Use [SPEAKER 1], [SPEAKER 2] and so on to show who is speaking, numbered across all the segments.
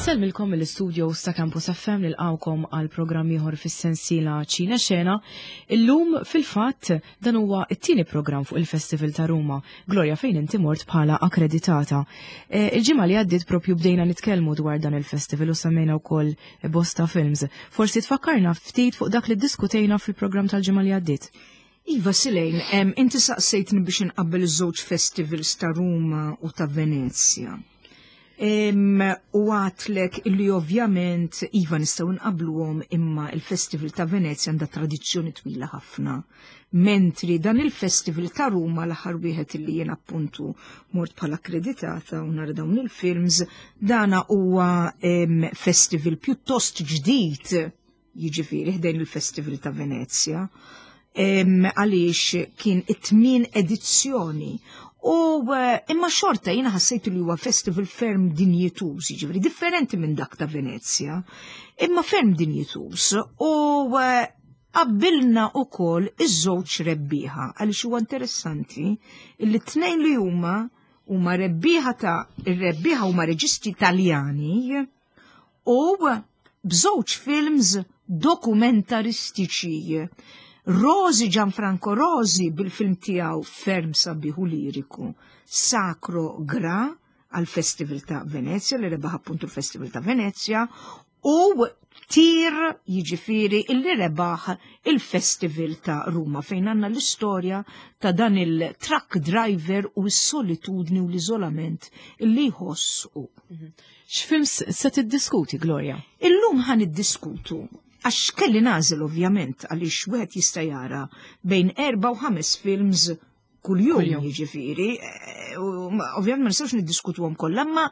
[SPEAKER 1] Insellmilkom mill-istudios ta' Campus FM nilqawkom għal programm ieħor fis-sensiela Ċina Xena. Illum fil-fatt dan huwa t-tieni programm fuq il-Festival ta' Ruma. Gloria fejn inti mort bħala akkreditata. Eh, il-ġimgħa li għaddiet propju bdejna nitkellmu dwar dan il-festival u semmejna wkoll bosta films. Forsi tfakkarna ftit fuq dak li ddiskutejna fil-programm tal-ġimgħa li għaddiet.
[SPEAKER 2] Iva, Silejn, inti saqsejtni biex inqabbel iż-żewġ festivals ta' Ruma u ta' Venezja. U għatlek illi ovvjament Iva nistgħu nqabluhom imma il-Festival ta' Venezja għandha tradizzjoni twila ħafna. Mentri dan il-Festival ta' Ruma l-aħħar wieħed illi jien appuntu mort bħala akkreditata u nara dawn il-films, dana huwa festival pjuttost ġdid jiġifieri ħdejn il-Festival ta' Venezja, għaliex kien it-tmien edizzjoni. U eh, imma xorta jiena ħassejt li huwa festival ferm dinjituż, jiġifieri differenti minn dak ta' Venezja, imma ferm dinjituż. U eh, qabbilna ukoll iż-żewġ rebbieħa għaliex huwa interessanti li t-tnejn li huma huma rebbieħa ta' ir-rebbieħa huma reġisti Taljani u b'żewġ films dokumentaristiċi. Rosi Gianfranco Rosi bil-film tiegħu ferm sabiħ u liriku Sacro Gra għal Festival ta' Venezia li rebaħ appuntu l-Festival ta' Venezia u Tir jiġifieri illi rebaħ il-Festival ta' Ruma fejn għandna l-istorja ta' dan il-truck driver u s-solitudni u l-iżolament illi jħoss u. Mhm.
[SPEAKER 1] X'films se tiddiskuti, Gloria?
[SPEAKER 2] Illum ħan iddiskutu għax kelli nażel ovvjament għaliex wieħed jista' jara bejn erba' u ħames films kuljum jiġifieri, eh, ovvjament ma nistgħux niddiskutuhom kollha, imma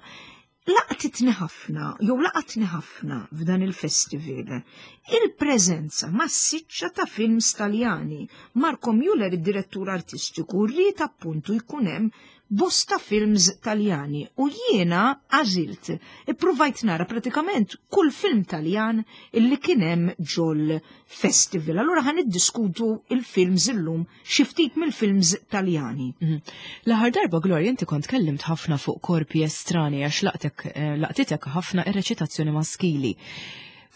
[SPEAKER 2] laqtitni ħafna, jew laqatni ħafna f'dan il-festival, il-preżenza massiċċa ta' films Taljani. Marco Müller, id-direttur artistiku, rrid appuntu jkun hemm bosta films Taljani u jiena għażilt, ippruvajt nara pratikament kull film Taljan illi kien hemm ġol festival. Allura ħan niddiskutu il-films illum xi ftit mill-films Taljani. Mhm.
[SPEAKER 1] L-aħħar darba Gloria inti kont kellimt ħafna fuq korpi estrani għax laqtek eh, laqtitek ħafna ir-reċitazzjoni maskili.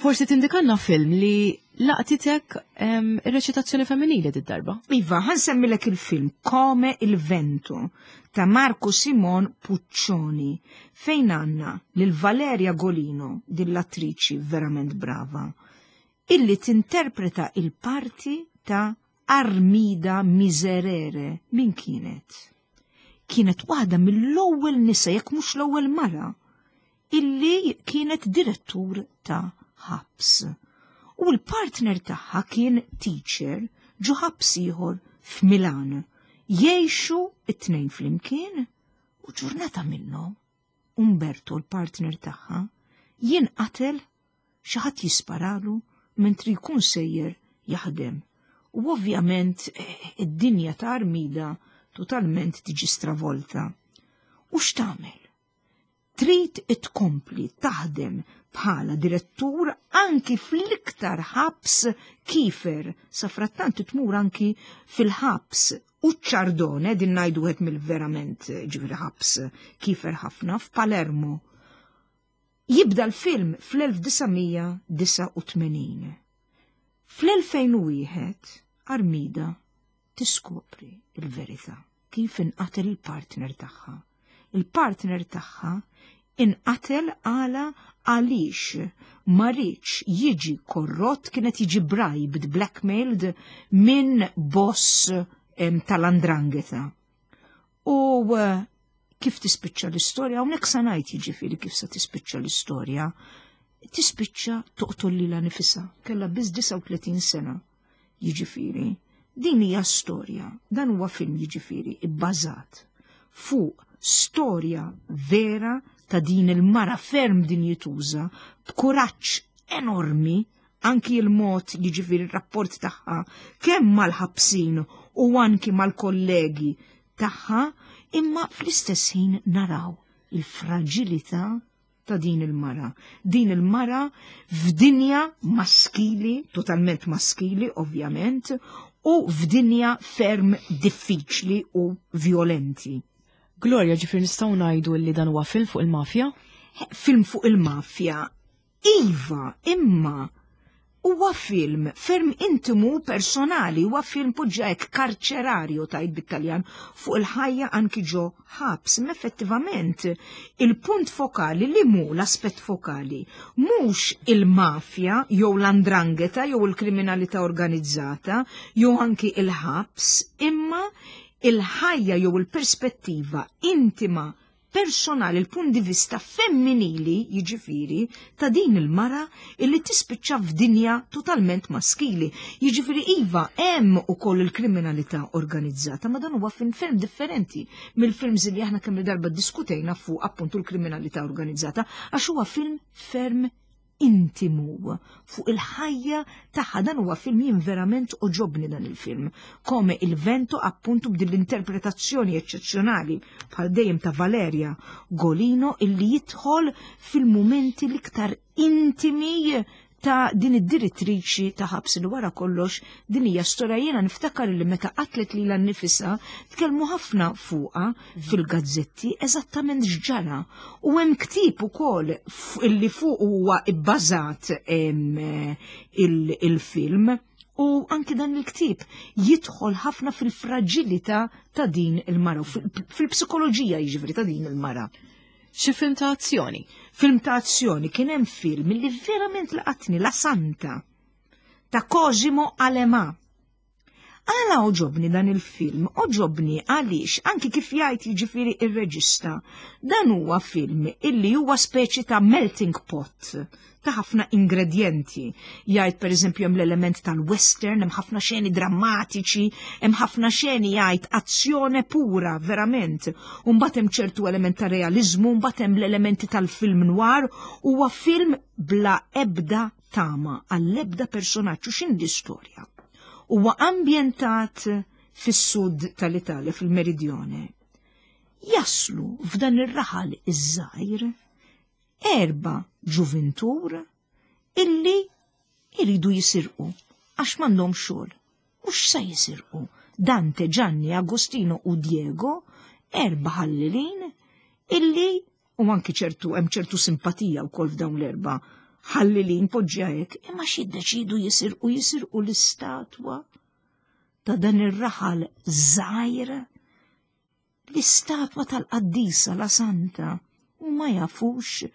[SPEAKER 1] Forsi tindikanna film li laqtitek ir-reċitazzjoni femminili did-darba.
[SPEAKER 2] Iva, ħansemmilek il-film Come il Vento ta' Marco Simon Puccioni fejn għandna lil Valeria Golino, din l-attriċi verament brava, illi tinterpreta il-parti ta' Armida Miserere. Min kienet? Kienet waħda mill-ewwel nisa jekk mhux l-ewwel mara illi kienet direttur ta' ħabs. U l-partner tagħha kien teacher ġo ħabs ieħor f'Milan. Jgħixu it-tnejn flimkien u ġurnata minnhom Umberto l-partner tagħha jinqatel xi ħadd jisparalu mentri jkun sejjer jaħdem. U ovvjament eh, id-dinja ta' Armida totalment tiġi stravolta. U x'tagħmel? Trid tkompli taħdem bħala direttur anki fl-iktar ħabs kifer, safrattant tmur anki fil-ħabs Ucciardone, din ngħidu wieħed mill-verament ġifieri ħabs kifer ħafna f'Palermo. Jibda l-film fl-1989. Fl-2001 Armida tiskopri l-verità kif inqatel il-partner tagħha. Il-partner tagħha inqatel għala għaliex ma riedx jiġi korrott kienet jiġi bribed, blackmailed minn boss tal-andrangheta. U eh, kif tispiċċa l-istorja, hawnhekk sa ngħid jiġifieri kif se tispiċċa l-istorja, tispiċċa toqtol lilha nifisha, kellha biss 39 sena. Jiġifieri, din hija storja, dan huwa film jiġifieri ibbażat fuq storja vera ta' din il-mara ferm dinjituża b'kuraġġ enormi anki l-mod jiġifieri r-rapport tagħha kemm mal-ħabsin u anki mal-kollegi tagħha, imma fl-istess ħin naraw il-fraġilità ta' din il-mara. Din il-mara f'dinja maskili, totalment maskili ovvjament, u f'dinja ferm diffiċli u violenti.
[SPEAKER 1] Gloria, ġifir nistgħu ngħidu li dan huwa film fuq il-mafja?
[SPEAKER 2] Film fuq il-mafja. Iva, imma huwa film ferm intimu personali, huwa film poġġa hekk karċerarju tajt bit-Taljan fuq il-ħajja anki ġo ħabs. Ma effettivament il-punt fokali li mu l-aspett fokali mhux il-mafja jew l-andrangheta jew il-kriminalità organizzata jew anki il-ħabs, imma il-ħajja jew il-perspettiva intima personali, il-punt di vista femminili, jiġifieri, ta' din il-mara illi tispiċċa f'dinja totalment maskili. Jiġifieri iva hemm ukoll il-kriminalità organizzata, ma dan huwa film ferm differenti mill-films li aħna kemm darba diskutejna fuq appuntu l-kriminalità organizzata, għax huwa film ferm intimu fuq il-ħajja tagħha. Dan huwa film jien verament oġobni dan il-film. Come il vento appuntu b'din l-interpretazzjoni eċċezzjonali bħal dejjem ta' Valeria Golino illi jidħol fil-mumenti l-iktar intimi ta' din id-direttriċi ta' ħabs li wara kollox din hija storja jiena niftakar li meta qatlet lilha nnifisha tkellmu ħafna fuqha fil-gazzetti eżattament x'ġara. U hemm ktieb ukoll illi fuq huwa bbażat il-film u anki dan il-ktieb jidħol ħafna fil-fraġilità ta' din il-mara, fil-psikoloġija jiġifieri ta' din il-mara.
[SPEAKER 1] Xi film ta' azzjoni?
[SPEAKER 2] Film ta' azzjoni kien hemm film li verament laqatni La Santa ta' Cosimo Alema. Għala oġobni dan il-film? Oġobni għaliex anki kif jgħid jiġifieri ir-reġista, dan huwa film illi huwa speċi ta' melting pot ta' ħafna ingredjenti. Jgħid pereżempju hemm l-element tal-western, hemm ħafna xeni drammatiċi, hemm ħafna xeni jgħid azzjone pura verament. U mbagħad hemm ċertu element ta' realiżmu, mbagħad hemm l-elementi tal-film noir, huwa film bla ebda tama għall-ebda personaġġ u x'inhi l-istorja. Huwa ambjentat fis-sud tal-Italja, fil-Meridione. Jaslu f'dan ir-raħal iż-żgħir erba' ġuvintur illi jridu jisirqu għax m'għandhom xogħol. U x'se jisirqu? Dante, Gianni, Agostino u Diego, erba' ħallilin illi u anki ċertu hemm ċertu simpatija wkoll f'dawn l-erba' ħallilin poġġja hekk, imma x'jiddeċidu jisirqu jisirqu l-istatwa ta' dan ir-raħal żgħir, l-istatwa tal-qaddisa la Santa, u ma jafux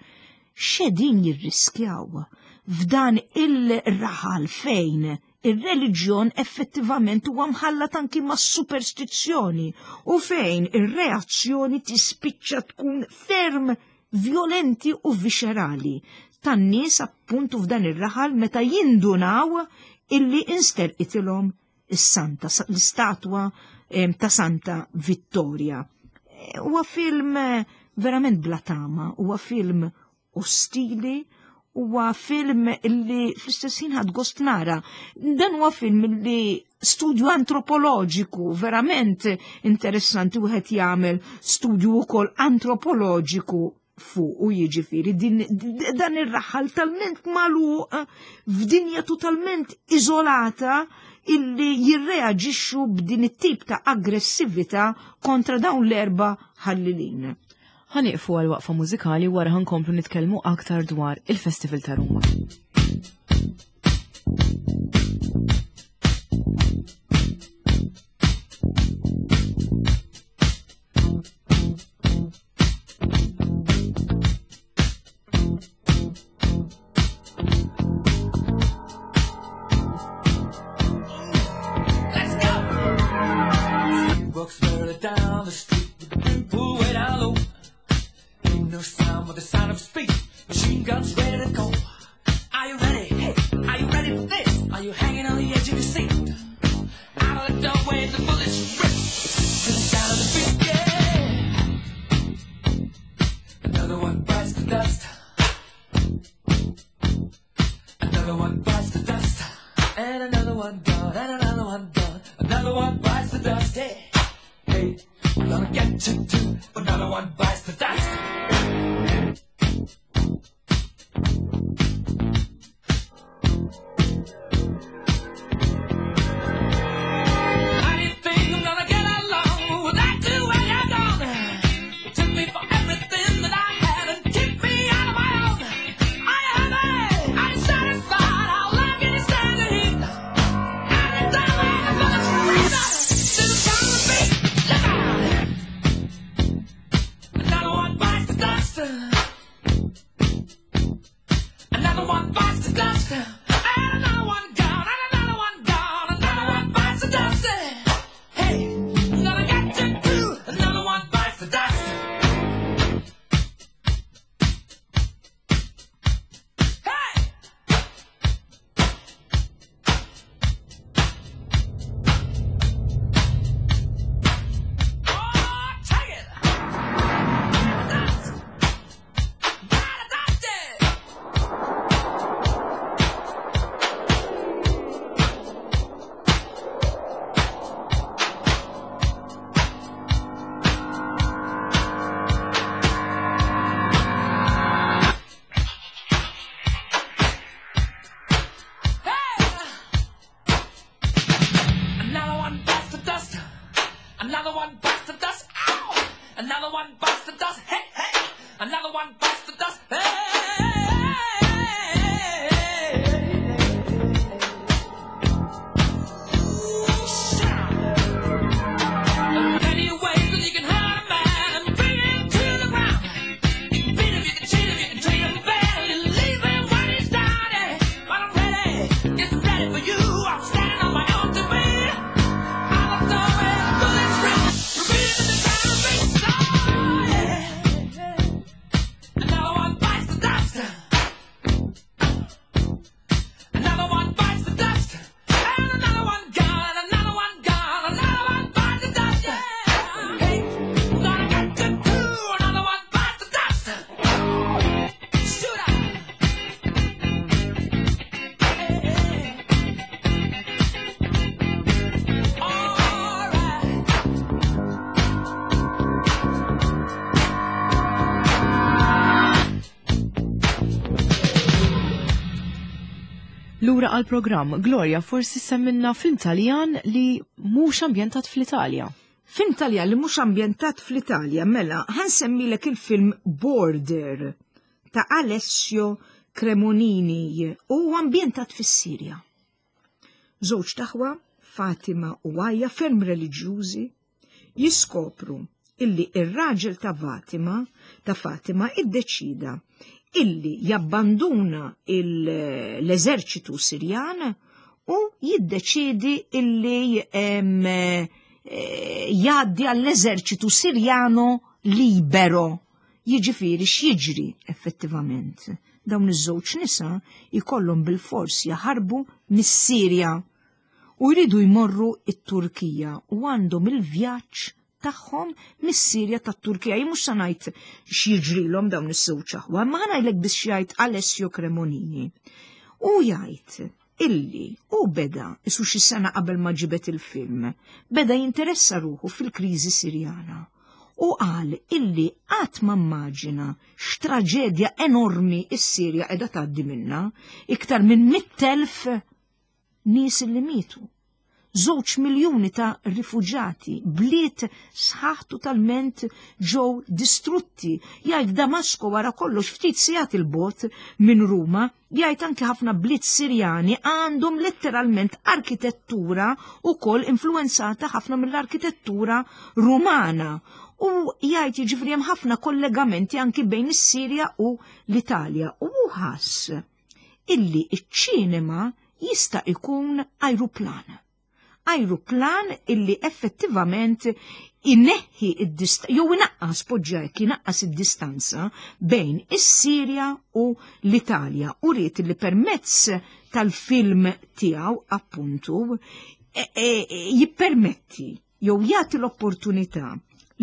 [SPEAKER 2] x'qegħdin jirriskjaw f'dan il-raħal fejn ir-reliġjon effettivament huwa mħallat anki ma' superstizzjoni u fejn ir-reazzjoni tispiċċa tkun ferm violenti u viscerali tan-nies appuntu f'dan ir-raħal meta jindunaw illi insterqitilhom is-santa, l-istatwa ta' Santa Vittoria. Huwa film verament bla tama, huwa film ostili, huwa film illi fl-istess ħin ħadd gost nara. Dan huwa film illi studju antropoloġiku verament interessanti wieħed jagħmel studju wkoll antropoloġiku fuq u jiġifieri dan ir-raħal talment magħluq f'dinja totalment iżolata illi jirreaġixxu b'din it-tip ta' aggressività kontra dawn l-erba' ħallilin.
[SPEAKER 1] Ħanieqfu għal waqfa mużikali wara ħankomplu nitkellmu aktar dwar il-Festival ta' Ruma.
[SPEAKER 3] Let's go! Walks further down the street with the brim pulled way down low. Ain't no sound but the sound of speed. Machine guns ready to go. Are you ready? Hey, are you ready for this? Are you hanging on the edge of your seat? Out of the doorway, the bullets rip to the sound of the beat. Yeah. Another one bites the dust. Another one bites the dust. And another one gone, and another one gone. Another one bites the dust. Hey, hey, I'm gonna get you too. Another one bites the dust. How do you think I'm gonna get along without you when you're gone? You took me for everything that I had and kicked me dust. And another one gone, and another one gone, another one bites the dust. Hey, gonna get you too. Another one bites the dust. Hey! Oh, take it! Dust! Dust! Dust! Hey! Another one bites the dust. Another one bites the dust. Ow! Another one bites the dust. Hey, hey! Another one bites the dust. Hey! Ooh, shout. Many ways that you can hurt a man and bring him to the ground. You can beat him, you can cheat him, you can treat him bad, you leave him when he's down. Yeah. But I'm ready, just ready for you. I'm standing on my own to be. I'm a dog and bullets ring, repeating in the ground, big star. Yeah. Another one bites the dust. Another one bites the dust. And another one gone, and another one gone, another one bites the dust. Yeah. Hey, we're gonna get you too. Another one bites the dust. Shoot out. Hey, hey. All right.
[SPEAKER 1] Lura għal programm Gloria forsi semmilna film Taljan li mhux ambjentat fl-Italja.
[SPEAKER 2] Film Taljan li mhux ambjentat fl-Italja, mela, ħa nsemmilek il-film Border ta' Alessio Cremonini u ambjentat fis-Sirja. Żewġt aħwa, Fatima u Għajja, ferm reliġjużi, jiskopru illi ir-raġel ta' Fatima iddeċida illi jabbanduna l-eżerċitu Sirjan u jiddeċidi illi jgħaddi għall-eżerċitu Sirjano libero. Jiġifieri x'jiġri effettivament? Dawn iż-żewġ nisa jkollhom bil-fors jaħarbu mis-Sirja u jridu jmorru it-Turkija u għandhom il-vjaġġ tagħhom mis-Sirja tat-Turkija. Jien mhux se ngħid x'jiġrilhom dawn iż-żewġ aħwa, ma ħa ngħidlek biex jgħid Alessio Cremonini. U jgħid illi u beda isu xi sena qabel ma ġibet il-film, beda jinteressa ruħu fil-kriżi Sirjana. U qal illi qatt ma immaġina x'traġedja enormi s-Sirja qiegħda tgħaddi minna, iktar minn 100,000 nies li mietu. 2 miljuni ta' rifuġati, bliet sħaħ totalment ġew distrutti. Jgħid Damasko wara kollox ftit sigħat 'il bogħod minn Ruma, jgħid anke ħafna bliet Sirjani għandhom letteralment arkitettura u koll influenzata ħafna mill-arkitettura Rumana. U jgħid jiġifieri hemm ħafna kollegamenti anki bejn is-Sirja u l-Italja. U ħass illi iċ-ċinema jista' ikun ajruplan. Ajruplan illi effettivament inneħħi id-distanza, jew inaqqas poġġek, inaqqas id-distanza bejn is-Sirja u l-Italja. U ried li permezz tal-film tiegħu appuntu jippermetti jew jagħti l-opportunità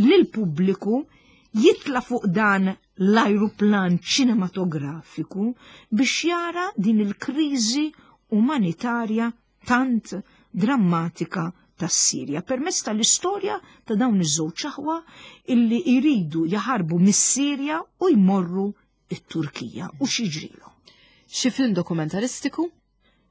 [SPEAKER 2] lil pubbliku jitla fuq dan l-ajruplan ċinematografiku biex jara din il-kriżi umanitarja tant drammatika tas-Sirja permezz tal-istorja ta' dawn iż-żewġ aħwa illi jridu jaħarbu mis-Sirja u jmorru it-Turkija u x'jiġrilhom.
[SPEAKER 1] Xi film dokumentaristiku?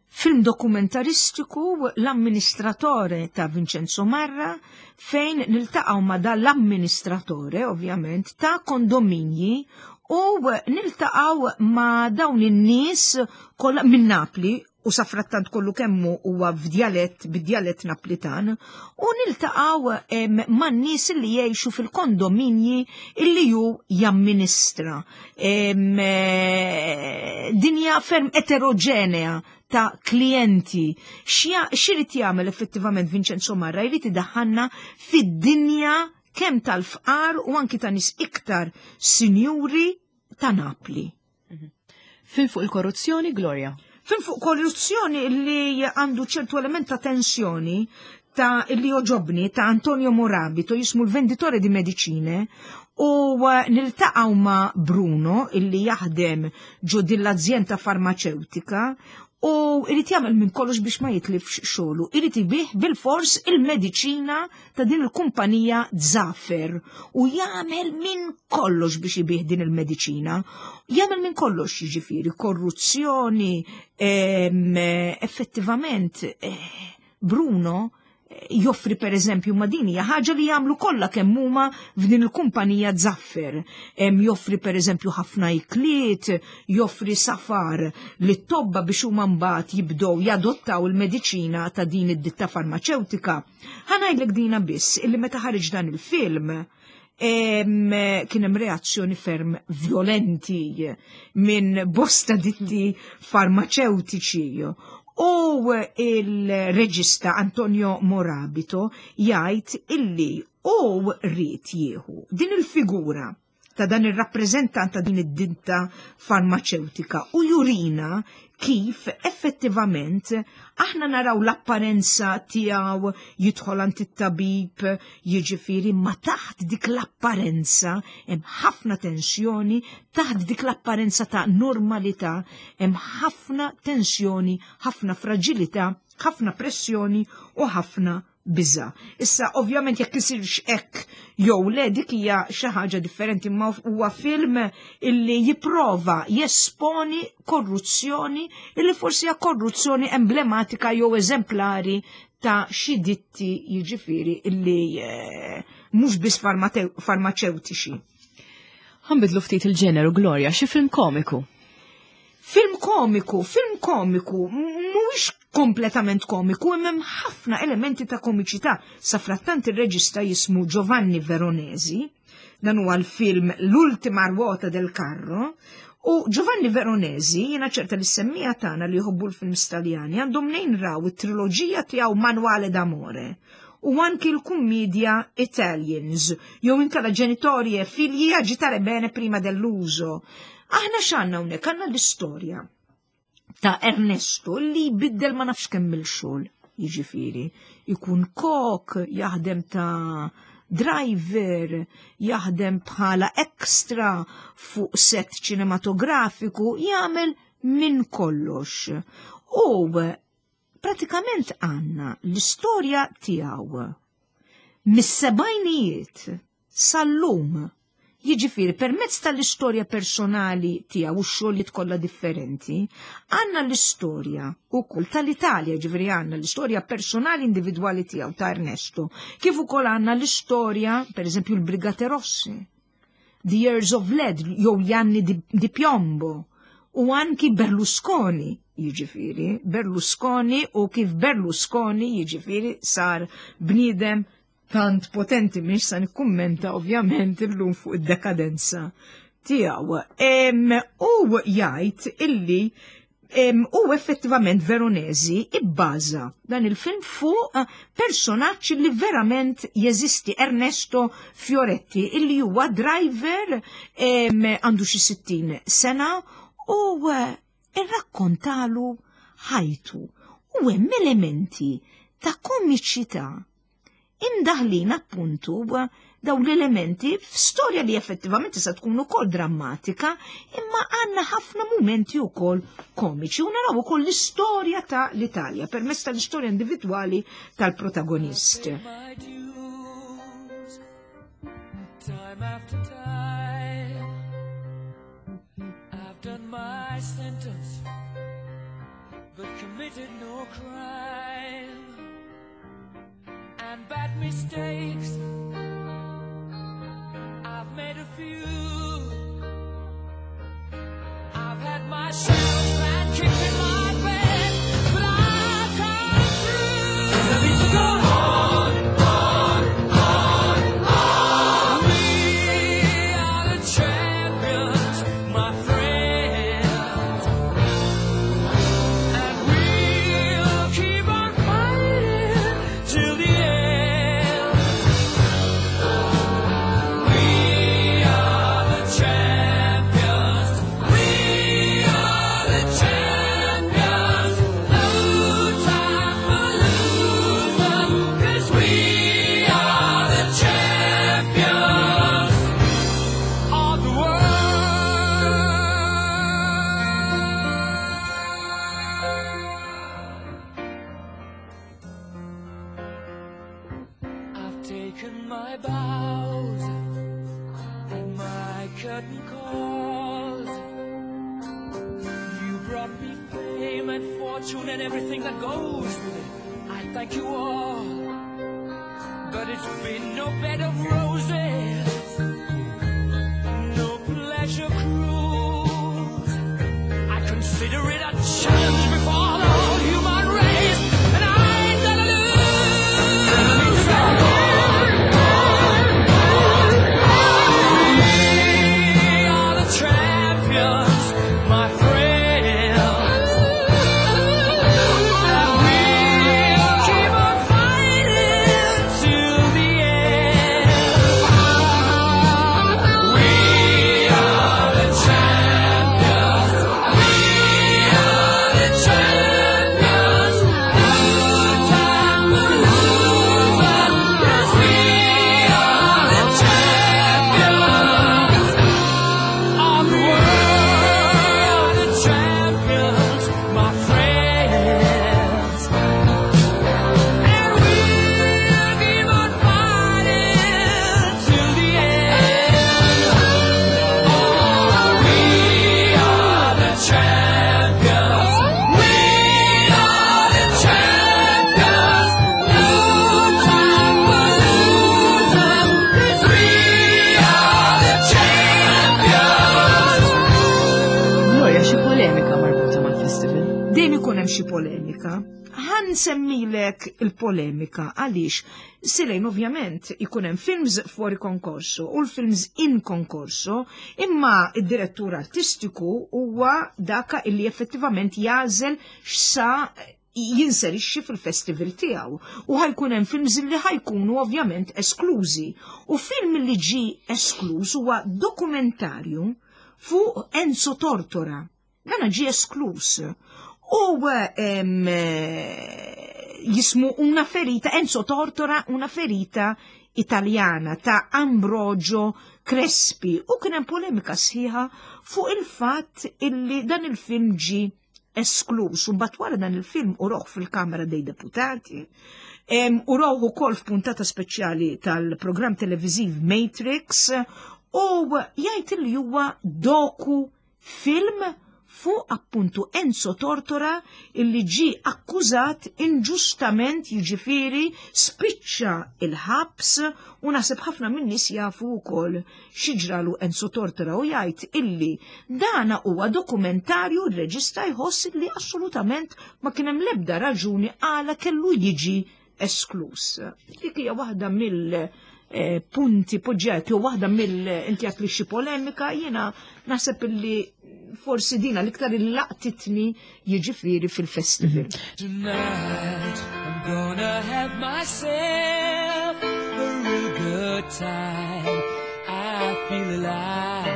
[SPEAKER 2] Film dokumentaristiku L-amministratore ta' Vincenzo Marra, fejn niltaqgħu ma' dan l-amministratore ovvjament ta' kondominji u niltaqgħu ma' dawn in-nies kollha minn Napli. u safrattant kollu kemmu huwa f'djalett bid-djalett Naplitan u niltaqgħu man-nies li jgħixu fil-kondominji illi ju jamministra. Dinja ferm eterogenea ta' klijenti. X'irid jagħmel effettivament Vincenzo Marra? Jrid idaħħalna fid-dinja kemm tal-fqar u anki ta' nies iktar sinjuri ta' Napli.
[SPEAKER 1] Film fuq il-korruzzjoni, Gloria?
[SPEAKER 2] Film fuq korruzzjoni li għandu ċertu element ta' tensjoni ta' li joġobni ta' Antonio Morabito jismu l-Venditore di Medicine u niltaqgħu ma' Bruno illi jaħdem ġo din l-azjenda farmaceutika u irid jagħmel minn kollox biex ma jitlifx xogħlu. Irid ibih bil-fors il-mediċina ta' din il-kumpanija Zafer u jagħmel minn kollox biex ibih din il-mediċina. Jagħmel minn kollox jiġifieri korruzzjoni, effettivament Bruno joffri per eżempju ma din hija ħaġa li jagħmlu kollha kemm huma f'din il-kumpanija Zaffer. Joffri per eżempju ħafna ikliet, joffri safar li tobba biex huma mbagħad jibdew jadottaw il-mediċina ta' din id-ditta farmaceutika. Ħa ngħidlek dina biss illi meta ħareġ dan il-film kien hemm reazzjoni ferm violenti minn bosta ditti farmaceutiċi. U il-reġista Antonio Morabito jgħid illi u rrid jieħu din il-figura ta' dan il-rappreżentant ta' din id-ditta farmaceutika u jurina kif effettivament aħna naraw l-apparenza tiegħu jidħol għand it-tabib, jiġifieri ma taħt dik l-apparenza hemm ħafna tensjoni, taħt dik l-apparenza ta' normalità hemm ħafna tensjoni, ħafna fragilità, ħafna pressjoni u ħafna biża. Issa ovvjament jekk isirx hekk jew le dik hija xi ħaġa differenti, ma huwa film illi jipprova jesponi korruzzjoni illi forsi hija korruzzjoni emblematika jew eżemplari ta' xi ditti jiġifieri illi mhux biss farmaceutiċi.
[SPEAKER 1] Ħa nbiddlu ftit il-ġeneru, Gloria, xi film komiku?
[SPEAKER 2] Film komiku, film komiku, mhuwiex kompletament komiku, imma hemm ħafna elementi ta' komiċità. Safrattant ir-reġista jismu Giovanni Veronesi, dan huwa l-film L'ultima ruota del carro, u Giovanni Veronesi, jiena ċerta li s-semmiegħa tagħna li jħobbu l-films Taljani għandhom mnejn raw it-triloġija tiegħu Manuale d'Amore u anki l-kummedja Italians, jew inkella Genitori e figli agitare bene prima dell'uso. Aħna x'għandna hawnhekk? Għandna l-istorja ta' Ernesto li jbiddel ma nafx kemm il-xogħol, jiġifieri, ikun kok, jaħdem ta' driver, jaħdem bħala extra fuq set ċinematografiku, jagħmel minn kollox. U pratikament għandna l-istorja tiegħu mis-sebgħinijiet sal-lum. Jiġifieri permezz tal-istorja personali tiegħu u x-xogħlijiet kollha differenti, għandna l-istorja wkoll tal-Italja, jiġifieri għandna l-istorja personali individwali tiegħu ta' Ernesto, kif ukoll għandna l-istorja, pereżempju l-Brigate Rosse, The Years of Lead, jew gli anni di piombo, u anki Berlusconi, jiġifieri, Berlusconi u kif Berlusconi jiġifieri sar bniedem tant potenti, mhix sa nikkummenta ovvjament illum fuq id-dekadenza tiegħu. U jgħid illi u effettivament Veronesi ibbaża dan il-film fuq personaġġ li verament jeżisti, Ernesto Fioretti, illi huwa driver, għandu xi 60 sena u irrakkontalu ħajtu. U hemm elementi ta' komiċità imdaħlin appuntu daw l-elementi f'storja li effettivament tista' tkun ukoll drammatika, imma għandna ħafna mumenti ukoll komiċi u naraw ukoll l-istorja ta' l-Italja permezz tal-istorja individwali tal-protagonist.
[SPEAKER 3] Time after time, I've done my sentence, but committed no crime. And bad mistakes, I've made a few. I've had my share of bad kicks in my bed. my bows and my curtain calls. You brought me fame and fortune and everything that goes with it. I thank you all. But it's been no bed of roses, no pleasure cruise. I consider it a challenge before the whole human race, and I ain't gonna lose. We are the champions, my friends. And we'll keep on fighting till the end. We are the champions. We are the champions. No time for losers. 'Cause we are the champions of the world. The champions, my friends. And we'll keep on fighting till the end. Oh, we are the champions. We are the champions. No time for losers. 'Cause we are the champions.
[SPEAKER 1] Gloria, xi polemika marbuta mal-festival?
[SPEAKER 2] Dejjem ikun hemm xi polemika. Ħa nsemmilek il-polemika għaliex Silejn ovvjament ikun hemm films fuori concorso u l-films in concorso, imma id-direttur artistiku huwa daka illi effettivament jagħżel x'sa jinserixxi fil-festival tiegħu u ħa jkun hemm films li ħa jkunu ovvjament esklużi. U film li ġi eskluż huwa dokumentarju fuq Enzo Tortora. Dana ġi eskluż. U jismu Una ferita, Enzo Tortora, una ferita italiana ta' Ambrogio Crespi. U kien hemm polemika sħiħa fuq il-fatt illi dan il-film ġi eskluż. U mbagħad wara dan il-film uruh fil-Kamra dei Deputati, uruh ukoll f'puntata speċjali tal-programm televiziv Matrix, u jgħid li huwa doku film fuq appuntu Enzo Tortora illi ġi akkużat inġustament, jiġifieri spiċċa il-ħabs, u naħseb ħafna minn nies jafu wkoll x'ġralu Enzo Tortora, u jgħid illi dana huwa dokumentarju, r-reġista jħoss illi assolutament ma kien hemm l-ebda raġuni għala kellu jiġi esklus. Dik hija waħda mill punti poġġati u waħda mill inti għat li xi polemika, jiena naħseb illi forsi dina l-iktar il-laqtitni jiġifieri fil-festival.
[SPEAKER 3] Tonight I'm gonna have myself a real good time. I feel alive.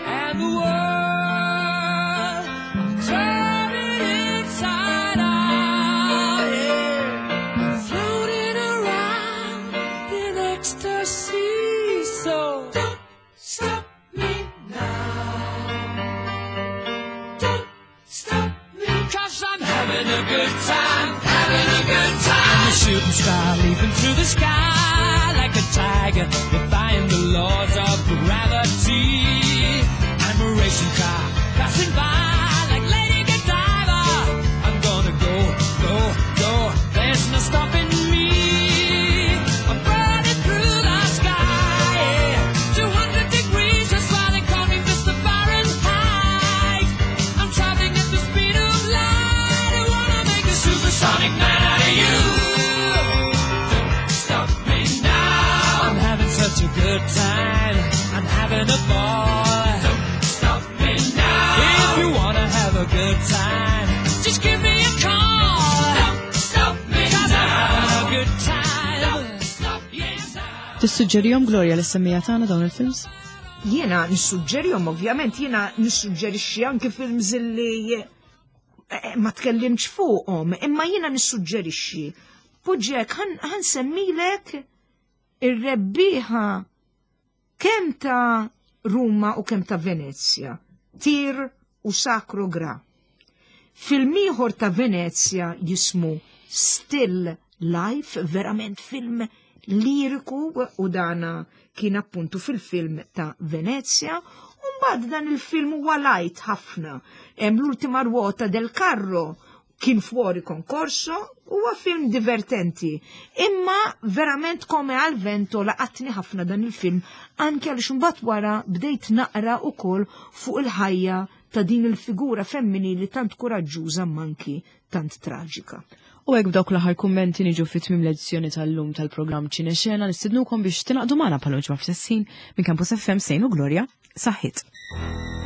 [SPEAKER 3] And the world, I'm turning inside out. Yeah. I'm floating around in ecstasy. So don't stop me now. Don't stop me, 'cause I'm having a good time, having a good time. I'm a shooting star leaping through the sky like a tiger, defying the laws of gravity. I'm a racing car passing by like Lady Godiva. I'm gonna go, go, go. There's no stopping me. I'm burning through the sky. 200 degrees, that's why they call me Mr. Fahrenheit. I'm traveling at the speed of light. I wanna make a supersonic man out of you. Don't stop me now. I'm having such a good time. I'm having a ball. Don't stop me now. If you wanna have a good time, just give me a call. Don't stop me 'cause I'm having a good time. Don't stop me now.
[SPEAKER 1] Tissuġġerihom, Gloria, lis-semmiegħa tagħna dawn il-films?
[SPEAKER 2] Jiena nissuġġerihom, ovvjament, jiena nissuġġerixxi anke films li ma tkellimx fuqhom, imma jiena nissuġġerixxi. Poġġek, ħa nsemmilek ir-rebbieħa kemm ta' Ruma u kemm ta' Venezia, Tir u Sacro Gra. Film ieħor ta' Venezia jismu Still Life, verament film liriku u dana kien appuntu fil-film ta' Venezia. Umbad dan il-film huwa light ħafna. Hemm l-ultima ruota del carro kien fuori concorso, huwa film divertenti. Imma verament come al vento laqatni ħafna dan il-film anke għaliex imbagħad wara bdejt naqra ukoll fuq il-ħajja ta' din il-figura femminili tant kuraġġuża manki tant traġika.
[SPEAKER 1] U hekk b'dawk l-aħħar kummenti niġu fi tmiem l-edizzjoni tal-lum tal-programm Ċinexena nistidnukom biex tingħaqdu magħna bħal ġimgħa f'sessin minn Campus FM Sejn u Gloria. Saħħit.